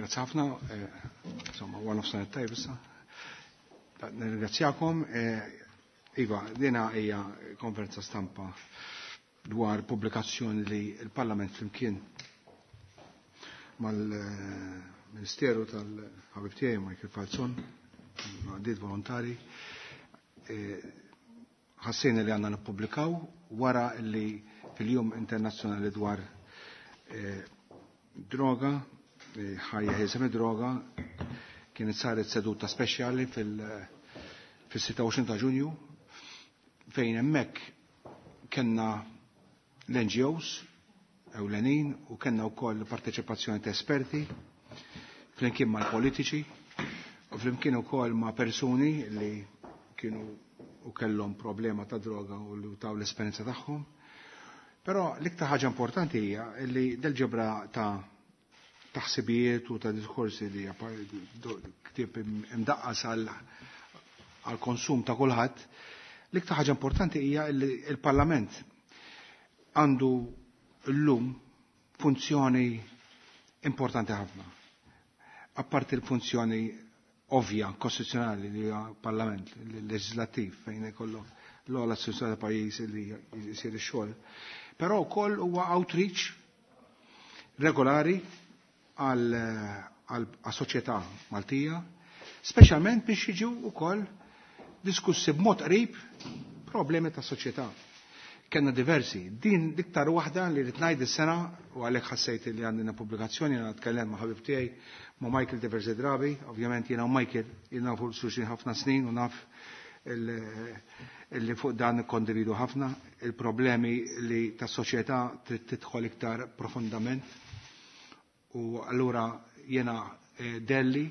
Grazzi ħafna, insomma, one of sanat tajb issa. Nirringrazzjakom. Iva, dina hija konferenza stampa dwar pubblikazzjoni li l-Parlament flimkien mal-Ministeru tal-ħabib tiegħi Michael Falzon, għaddiet volontari, ħassejna li għandna nippubblikaw wara li fil-Jum Internazzjonali dwar droga, ħajja ħiesem droga, kienet saret seduta speċjali fil-26 ta' Ġunju fejn hemmhekk kellna l-NGOs ewlenin u kellna wkoll parteċipazzjoni ta' esperti flimkien mal-politiċi u flimkien ukoll ma' persuni li kienu u kellhom problema ta' droga u li taw l-esperjenza tagħhom. Però l-iktar ħaġa importanti hija li del-ġebra ta' taħsibijiet u ta' diskorsi li ktieb imdaqqas għal konsum ta' kulħadd, l-iktar ħaġa importanti hija li l-Parlament għandu llum funzjoni importanti ħafna. Apparti l-funzjoni ovvja, kostituzzjonali li huwa Parlament leġislattiv fejn ikollok l-ogħla istituzzjoni tal pajjiż li jsir ix-xogħol. Però wkoll huwa outreach regolari għal soċjetà Maltija, speċjalment biex jiġu wkoll diskussi b'mod qrib problemi ta' soċjetà. Kenna diversi. Din l-iktar waħda li rrid ngħid is-sena u għalhekk ħassejt li għandna pubblikazzjoni jiena nitkellem ma' ħabib tiegħi ma' Michael diversi drabi, ovvjament jiena u Michael jiena fuq xulxin ħafna snin u naf li fuq dan kondividu ħafna il-problemi li tas soċjetà trid tidħol iktar profondament. U allura jiena delli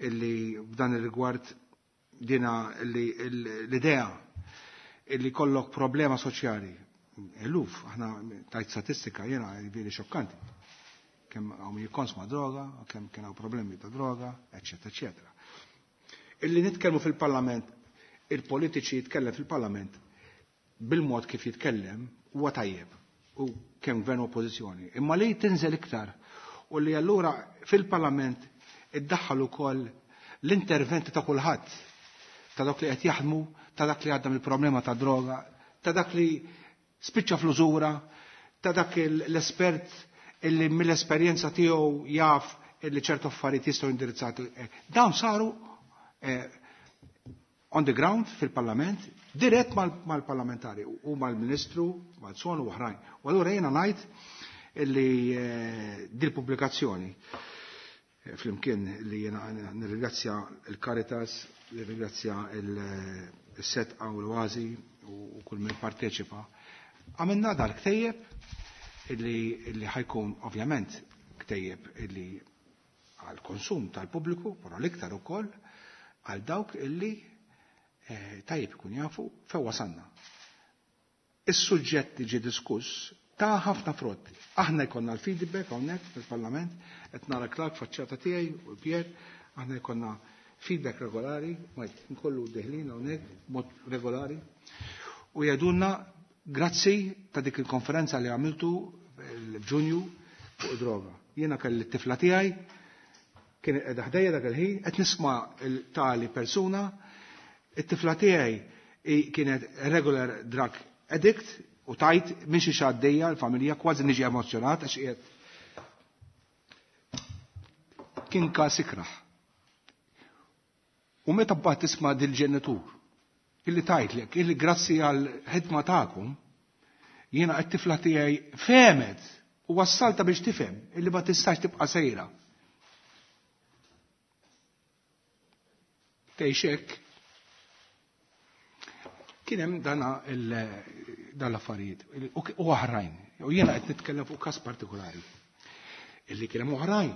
illi f'dan ir-rigward dina li l-idea illi kollok problema soċjali. Eluf, aħna tajt statistika jiena veri xokkanti. Kemm hawn jikkonsma droga, kemm kien hawn problemi ta' droga, eċetera, eċetera. Illi nitkellmu fil-Parlament, il-politiċi jitkellem fil-Parlament bil-mod kif jitkellem huwa tajjeb u kemm gvern u oppożizzjoni. Imma li tinżel iktar u li allura fil-Parlament iddaħħal ukoll l-interventi ta' kulħadd, ta' dak li qed jaħdmu, ta' dak li għadda mill-problema ta' droga, ta' dak li spiċċa fl-użura, ta' dak l-espert illi mill-esperjenza tiegħu jaf illi ċertu affarijiet jistgħu indirizzati. Dawn saru on the ground fil-Parlament, dirett mal-parlamentari u mal-Ministru, mal-Son u oħrajn. U allura jiena ngħid illi dil-pubblikazzjoni flimkien li jiena nirringrazzja il-Caritas, nirringrazzja il-Setqa u l-Oasi u kull min parteċipa. Għamilna dal-ktejjeb illi ħajkun ovvjament ktejjeb illi għal-konsum tal-pubbliku, però l-iktar ukoll għal dawk illi tajjeb ikun jafu fejn wasalna. Is-suġġett li ġie diskuss ta' ħafna frott. Aħna jkollna l-feedback hawnhekk fil-Parlament, qed nara Clark faċċata tiegħi u Pier, aħna jkollna feedback regolari, majt nkollu deħlin hawnhekk mod regolari. U jgħidulna grazzi ta' dik il-konferenza li għamiltu f'Ġunju fuq droga. Jiena kelli t-tifla tiegħi, kien qiegħda ħdejja dak il-ħin, qed nisma' tali persuna, it-tifla tiegħi kienet regular drug addict u tajt minn xi għaddejja l-familja kważi niġi emozjonat għax qiegħed kien każ ikrah. U meta mbagħad tisma' dil-ġenitur illi tajtlek illi grazzi għal ħidma tagħkom jiena qed tifla tiegħi fehmet u wassalta biex tifhem illi ma tistax tibqa' sejra. Tgħix hekk. Kien hemm dana dan l-affarijiet u oħrajn. U jiena qed nitkellem fuq każ partikolari illi kien hemm oħrajn.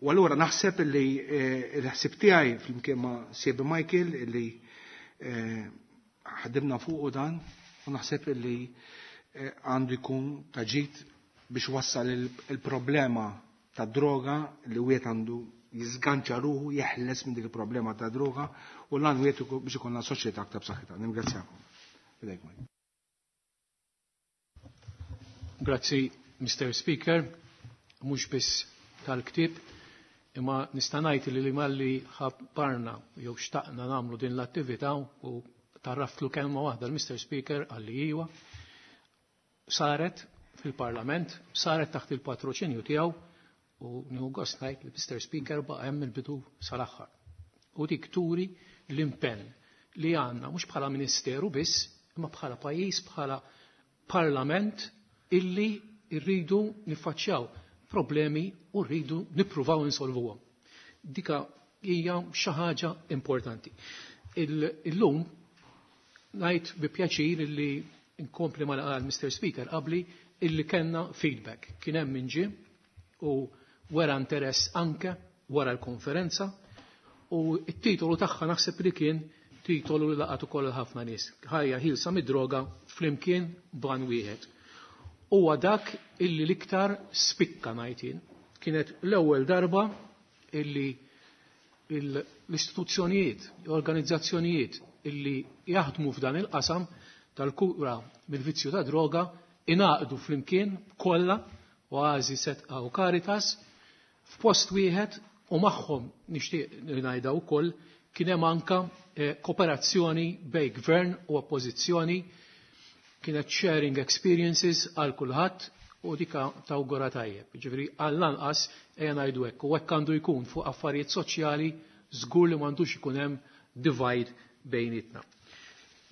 U allura naħseb illi l-ħsieb tiegħi flimkien ma' Siebi Michael illi ħadimna fuqu dan u naħseb illi għandu jkun ta' ġid biex wassal il-problema ta' droga li wieħed għandu jiżganċa ruħu, jeħles minn dik il-problema ta' droga u l-għan wieħed biex ikollna soċjetà aktar b'saħħitha. Ningrazzjakom. Fidejk, Mike. Grazzi, Mr. Speaker, mhux biss tal-ktieb, Imma nista' ngħid li malli ħabbarna jew xtaqna nagħmlu din l-attività u tarraftlu kelma waħda l-Mr. Speaker għalli iwa, saret fil-Parlament, saret taħt il-patroċinju tiegħu u nieħu gost ngħid li Mr. Speaker baqa' hemm il-bidu sal-aħħar. U dik turi l-impenn li għandna mhux bħala ministeru biss, imma bħala pajjiż, bħala parlament illi rridu niffaċċjaw problemi u rridu nippruvaw insolvuhom. Dika hija xi ħaġa importanti. Illum ngħid bi pjaċir illi nkompli ma qal Mr. Speaker qabli illi kellna feedback. Kien hemm min ġie u wera interess anke wara l-konferenza u t-titolu tagħha naħseb li kien titolu li laqat ukoll ħafna nies. Ħajja ħilsa mid-droga flimkien ban wieħed. Huwa dak illi l-iktar spikka ngħid jien. Kienet l-ewwel darba illi l-istituzzjonijiet, l-organizzazzjonijiet illi jaħdmu f'dan il-qasam tal-kura mill-vizzju ta' droga ingħaqdu flimkien kollha Oasi, Setqa u Caritas f'post wieħed u magħhom nixtieq ngħidha wkoll kien hemm anka kooperazzjoni bejn gvern u oppożizzjoni, kienet sharing experiences għal kulħadd u dika tawgura tajjeb. Ġifieri għall-anqas ejja ngħidu hekk u hekk għandu jkun fuq affarijiet soċjali żgur li m'għandux ikun hemm divide bejnietna.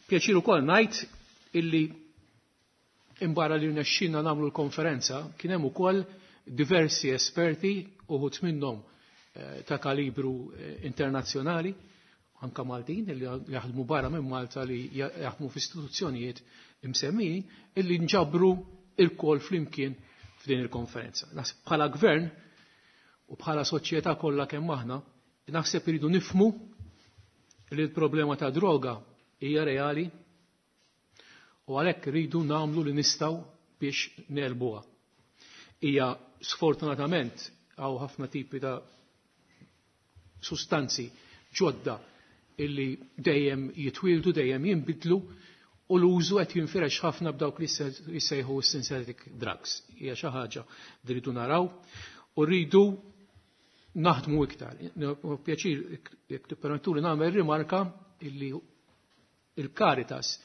Pjaċir ukoll ngħid illi imbarra li rnexxinna nagħmlu l-konferenza kien hemm ukoll diversi esperti uħud minnhom ta' kalibru internazzjonali, anka Maltin li jaħdmu barra minn Malta li jaħdmu f'istituzzjonijiet imsemmijin illi nġabru il-kol flimkien f'din il-konferenza. Naħseb bħala gvern u bħala soċjetà kollha kemm aħna, naħseb iridu nifmu li l-problema ta' droga hija reali u għalhekk rridu nagħmlu li nistgħu biex nelbuha. Hija sfortunatament hawn ħafna tipi ta' sustanzi ġodda illi dejjem jitwildu, dejjem jinbidlu u l-użu qed jinfirex ħafna b'dawk li jissejħu synthetic drugs. Hija xi ħaġa li rridu naraw u rridu naħdmu iktar. Pjaċir jekk tippermettuli nagħmel rimarka illi il-Caritas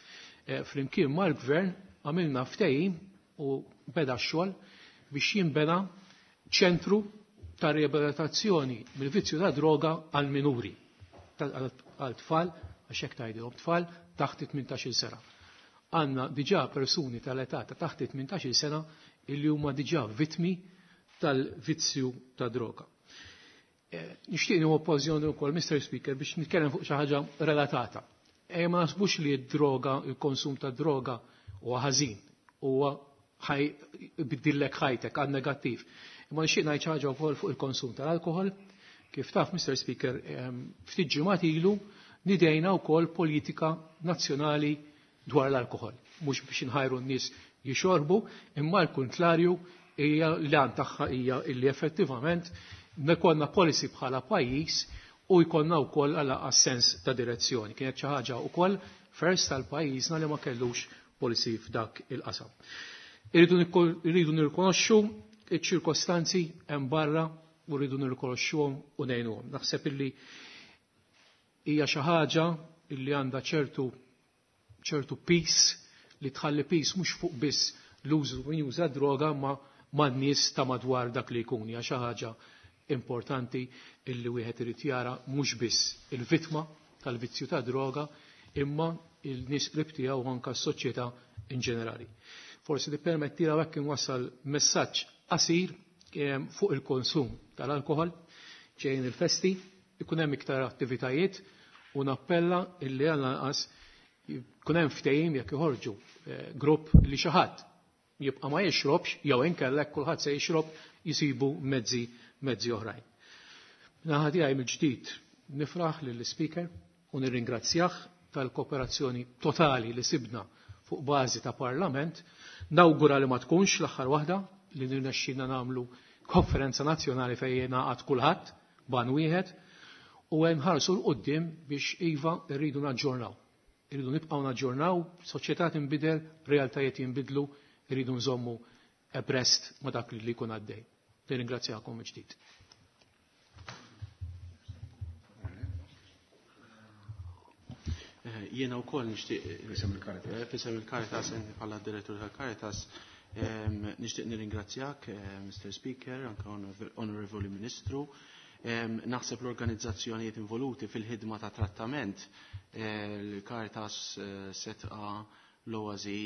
flimkien mal-gvern għamilna ftehim u beda x-xogħol biex jinbena ċentru ta' riabilitazzjoni mill-vizzju ta' droga għal minuri, għal tfal, għax hekk tgħidilhom tfal taħt 18-il sena. Għandna diġà persuni tal-età ta' taħt 18-il sena illi huma diġà vittmi tal-vizzju ta' droga. Nixtieq nieħu okkażjoni wkoll, Mr. Speaker, biex nitkellem fuq xi ħaġa relatata. Ma naħsbux li d-droga, il-konsum ta' droga huwa ħażin, huwa biddillek ħajtek għal negattiv. Imma nixtieq ngħid xi ħaġa wkoll fuq il-konsum tal-alkohol. Kif taf, Mr. Speaker, ftit ġimgħat ilu nidejna wkoll politika nazzjonali dwar l-alkohol. Mhux biex inħajru n-nies jixorbu, imma l-kontlarju hija l-għan tagħha hija illi effettivament nekonna policy bħala pajjiż u jkollna wkoll għal sens ta' direzzjoni. Kienet xi ħaġa wkoll first tal-pajjiżna li ma kellux policy f'dak il-qasam. Irridu nirrikonoxxu iċ-ċirkostanzi hemm barra u rridu nirrikonoxxuhom u ngħinuhom. Naħseb illi hija xi ħaġa illi għandha ċertu peace li tħalli peace mhux fuq biss l-użu min juża droga ma man-nies ta' madwar dak li jkun. Hija xi ħaġa importanti illi wieħed irid jara mhux biss il-vittma tal-vizzju ta' droga imma il-nies qrib tiegħu anke s-soċjetà in ġenerali. Forsi tippermettila hekk inwassal messaġġ qasir fuq il-konsum tal-alkohol ġejjin il-festi, ikun hemm iktar attivitajiet u nappella illi għall-anqas jkun hemm ftehim jekk joħorġu grupp li xi ħadd jibqa' ma jixrobx jew inkella jekk kulħadd se jixrob jisibu mezzi oħrajn. Naħa tiegħi mill-ġdid nifraħ lill-Speaker u nirringrazzjah tal-kooperazzjoni totali li sibna fuq bażi ta' Parlament. Nawgura li ma tkunx l-aħħar waħda li nirnexxina nagħmlu konferenza nazzjonali fejn jingħaqad kulħadd ban wieħed u nħarsu 'l quddiem biex iva rridu naġġornaw. Irridu nibqgħu naġġornaw, soċjetà tinbidel, realtajiet jinbidlu, irridu nżommu abreast ma dak li jkun għaddej. Nirringrazzjakom mill-ġdid. Jiena wkoll nixtieq F'isem il-Caritas. F'isem il-Caritas, bħala direttur tal-Caritas, nixtieq nirringrazzjak, Mr. Speaker, anke Onorevoli Ministru. Naħseb l-organizzazzjonijiet involuti fil-ħidma ta' trattament, l-Caritas, Sedqa, l-Oasi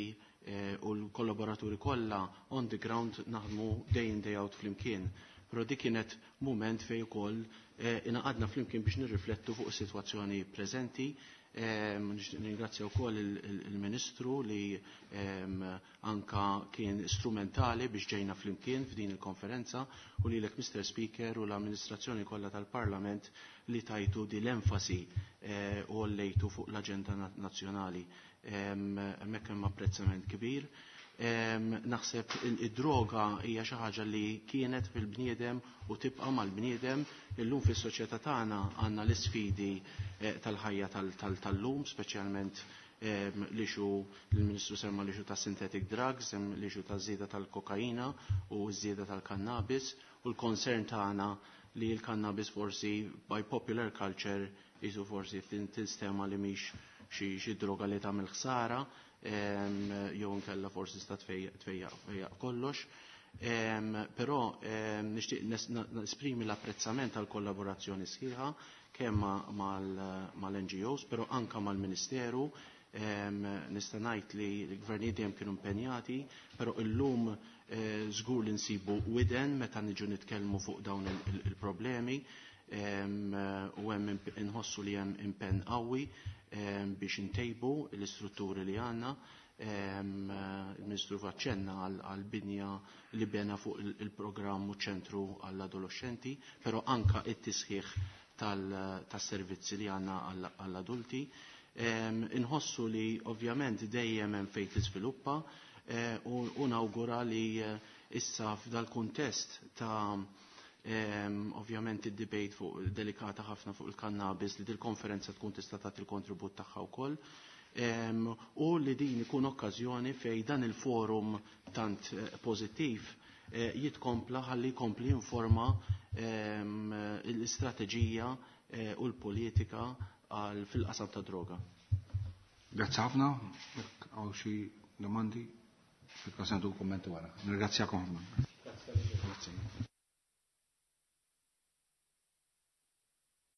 u l-kollaboraturi kollha on the ground naħdmu day in, day out flimkien. Però dik kienet moment fejn ukoll ingħaqadna flimkien biex nirriflettu fuq is-sitwazzjoni preżenti. Nirringrazzja wkoll il-Ministru li anka kien strumentali biex ġejna flimkien f'din il-konferenza u lilek, Mr. Speaker, u l-amministrazzjoni kollha tal-Parlament li tajtu di l-enfasi u għollejtu fuq l-aġenda nazzjonali. Hemmhekk hemm apprezzament kbir. Naħseb id-droga hija xi ħaġa li kienet fil-bniedem u tibqa' mal-bniedem. Illum fis-soċjetà tagħna għandna l-isfidi tal-ħajja tal-lum, speċjalment l-issue, l-Ministru semma l-issue ta' synthetic drugs, l-issue ta' żieda tal-kokaina u żieda tal-cannabis u l-concern tagħna li l-cannabis forsi by popular culture jisu forsi tinstema li mhix xi droga li tagħmel ħsara, jew nkella forsi sta tfejjaq kollox. Però nixtieq nesprimi l-apprezzament tal-kollaborazzjoni sħiħa kemm mal-NGOs, però anka mal-Ministeru. Nista' ngħid li l-gvernijiet dejjem kienu impenjati, però illum żgur li nsibu widen meta niġu nitkellmu fuq dawn il-problemi u hemm inħossu li hemm impenn qawwi biex intejbu l-istrutturi li għandna. Il-Ministru faċċenna għal-binja li bena fuq il-programm u ċentru għall-adolescenti, però anka it-tisħiħ tas-servizzi li għandna għall-adulti. Inħossu li ovvjament dejjem hemm fejn tiżviluppa u nawgura li issa f'dal kuntest ta' ovvjament id-debate fuq delikata ħafna fuq il-cannabis li dil-konferenza tkun tista' tagħti il-kontribut tagħha wkoll. U li din ikun okkażjoni fej dan il-forum tant pożittiv jitkompla ħalli jkompli informa l-istrateġija u l-politika fil-qasam ta' droga. Grazzi ħafna, jekk hawn xi domandi, fil-każ nagħtu kummenti wara. Nirringrazzjakom ħafna.